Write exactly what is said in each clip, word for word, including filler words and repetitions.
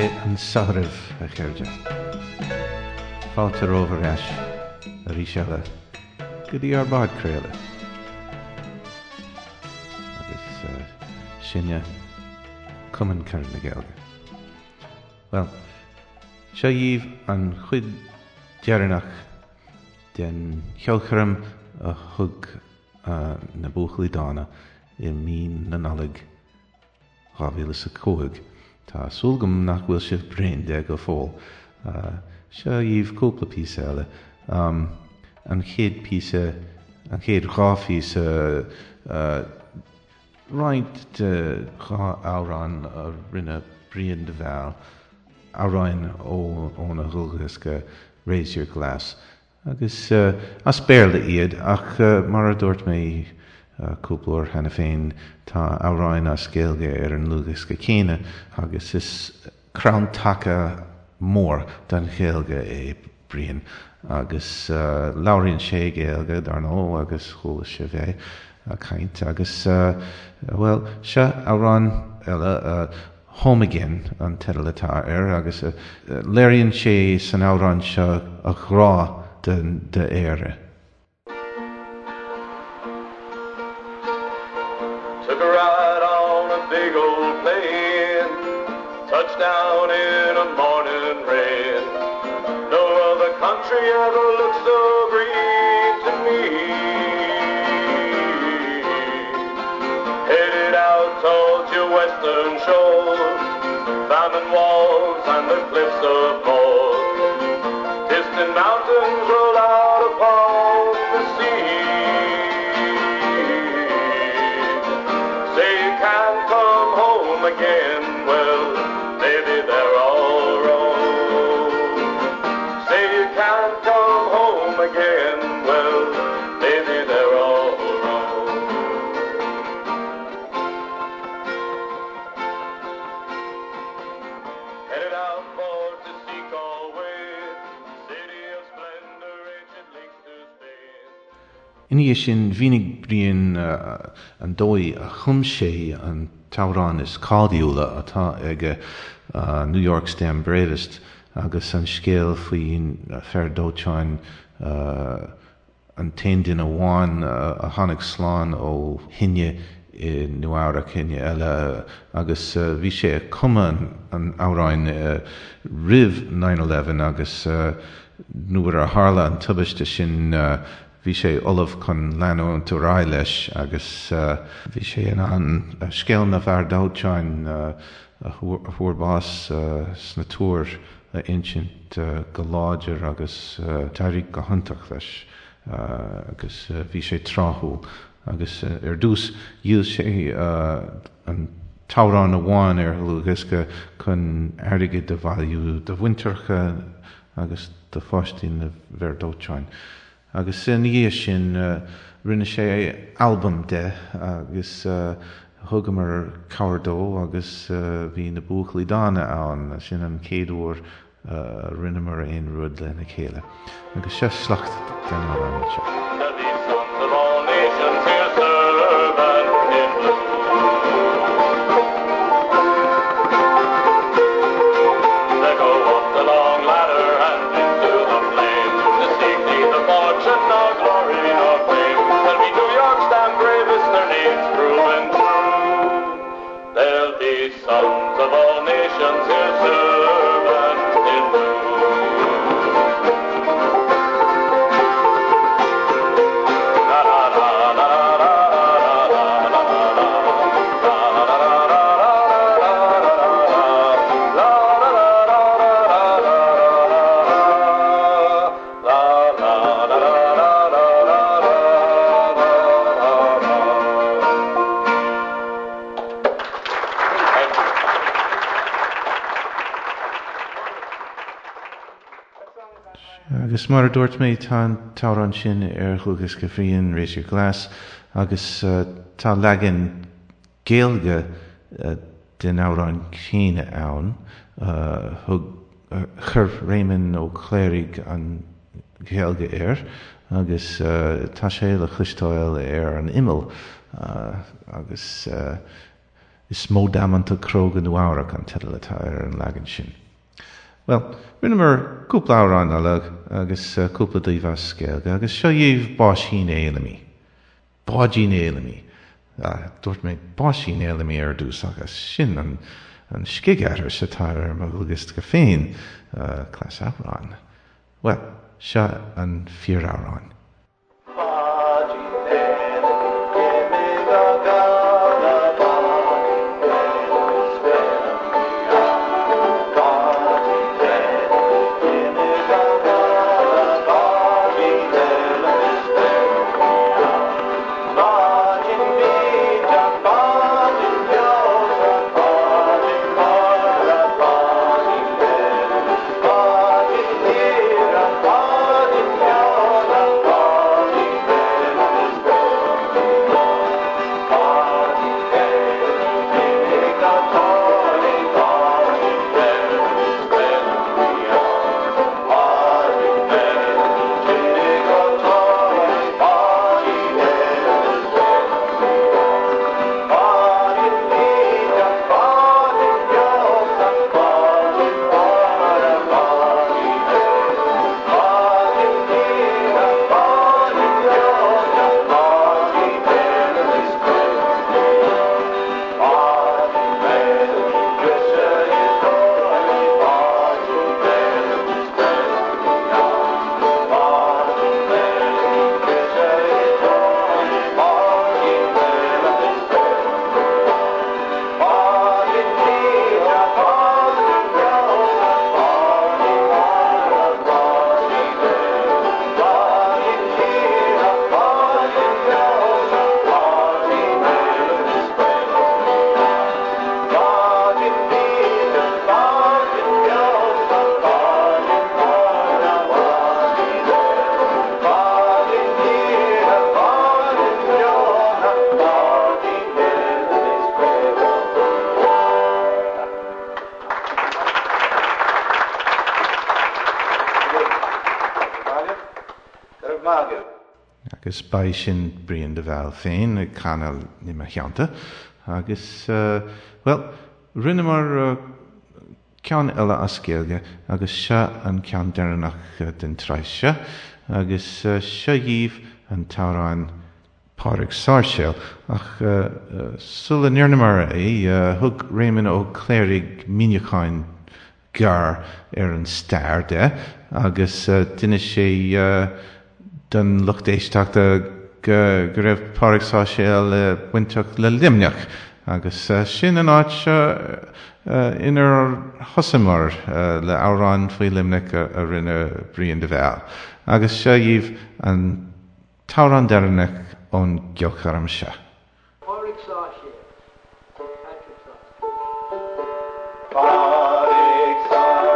Dé anseo oraibh, a chairde. Fáilte romhaibh ar ais arís eile go dtí ár bpodchraoladh. Agus sinne, Cumann Carad na Gaeilge. Bhuel, seo dhaoibh an chuid dheireanach den cheolchoirm a thug na Buachaillí Dána i mí na Nollag dhá mhíle is a cúig. Tá súil agam nach bhfuil sibh bréan de go fóill. Seo dhaoibh cúpla píosa eile. An chéad píosa, an chéad dhá phíosa, roinnt de dhá amhrán a rinne Brian de Bhál, amhráin óna dhlúthdhiosca Raise Your Glass. Agus as Béarla iad, ach mar a dúirt mé cúpla uair cheana féin, tá amhráin as Gaeilge ar an ndlúthdhiosca céanna agus is crann taca mór don Ghaeilge é Brian agus labhraíonn sé Gaeilge, dar ndóigh, agus chuala sibh é ag caint agus, bhuel, seo amhrán eile, Home Again an teideal atá air agus léiríonn sé san amhrán seo a ghrá d'Éire. Took a ride on a big old plane, touched down in a morning rain. No other country ever looked so green to me. Headed out towards your western shores, famine walls and the cliffs of Moher. Distant mountains roll out upon the sea. Say you can't come home again, well, maybe they're all wrong. Say you can't come home again, well, maybe they're all wrong. Headed out for to see Galway, city of splendor, ancient links to Spain. Ina dhiaidh sin, mhínigh Brian an dóigh a chum sé an t-amhrán is cáiliúla atá aige, New York Stand Bravest, agus an scéal faoin fear dóiteáin, an t-aon duine amháin a tháinig slán ó thine i Nua-Eabhrac, thine eile, agus bhí sé ag cumadh an amhráin roimh nine eleven agus nuair a tharla an tubaiste sin bhí sé ullamh chun leanúint ar aghaidh leis agus bhí sé in ann scéal na bhfear dóiteáin a fuair bás sna túir a insint go láidir agus d'éirigh go hiontach leis agus bhí sé tráthúil. Agus ar dtús dhíol sé an t-amhrán amháin ar dhlúthdhiosca chun airgead a bhailiú do mhuintireacha agus do pháistí na bhfear dóiteáin. Agus ina dhiaidh sin rinne sé albam de agus thugamar cabhair dó agus bhí na Buachaillí Dána ann. Sin an chéad uair a rinneamar aon rud lena chéile. Agus seo sliocht den amhrán seo. There'll be sons of all nations here serving in blue. They go up the long ladder and into the flames to seek neither fortune nor glory nor fame. There'll be New York's damn bravest, their names proven true. There'll be sons of all nations here serving in blue. La la la la la la la la la la la Agus mar a dúirt mé, tá an t-amhrán sin ar dhlúthdhiosca Bhriain, Raise Your Glass, agus tá leagan Gaeilge den amhrán céanna ann. Thug, chuir Réamonn Ó Cléirigh an Ghaeilge air agus tá sé le cloisteáil ar an imeall agus Is mó damanta cróga Nua-Eabhrac an teideal atá ar an leagan sin. Well, rinneamar cúpla amhrán eile agus cúpla díobh as Gaeilge agus seo dhaoibh Báisín Fhéilimí. Báidín Fhéilimí. Dúirt mé Báisín Fhéilimí ar dtús agus sin an an scigaithris atá ar mo dhualgas féin cleas amhrán. Well, seo an fíoramhrán. Agus ba sin Brian de Bhál féin ag canadh i mo theannta agus bhuel, rinneamar ceann eile as Gaeilge agus seo an ceann deireanach den tsraith seo agus seo dhaoibh an t-amhrán Pádraig Sáirséal ach sula ndearnamar é thug Réamonn Ó Cléirigh míniúchán gearr ar an stair de agus d'inis sé don lucht éisteachta go go raibh Pádraig Sáirséal bainteach le Luimneach agus sin an áit inar thosaíomar le amhrán faoi Luimneach a rinne Brian de Bhál. Agus seo dhaoibh an t-amhrán deireanach ón gceolchoirm seo. Pádraig Sáirséal, Patrick Sáirséal. Pádraig Sáirséal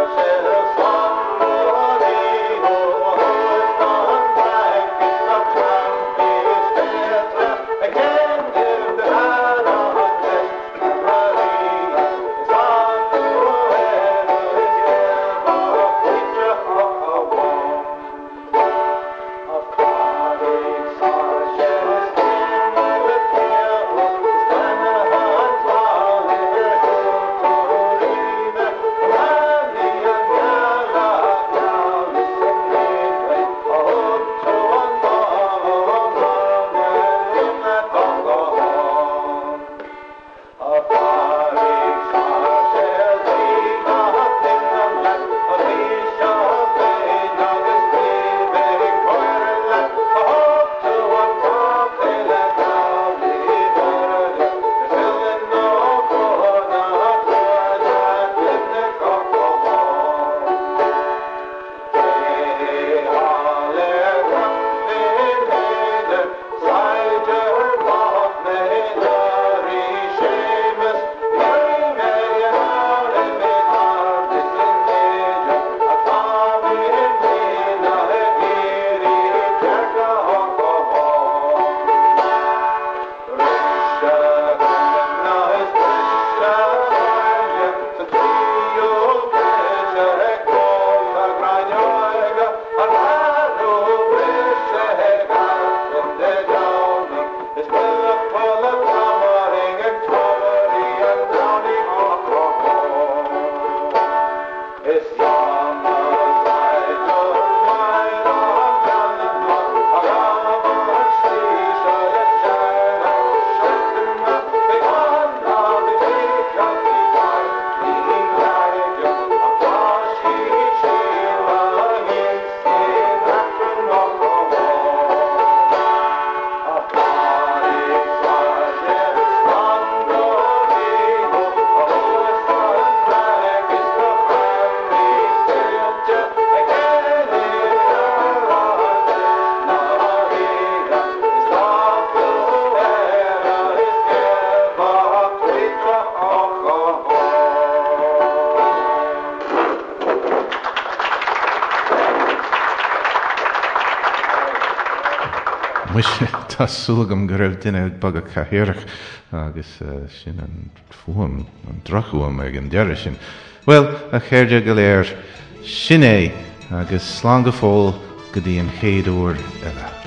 Muise, tá súil agam go raibh duine ag bogadh cathaoireach agus sin an fuaim, an drochfhuaim ag an deireadh sin. Bhuel, a chairde go léir, sin é agus slán go fóill go dtí an chéad uair eile.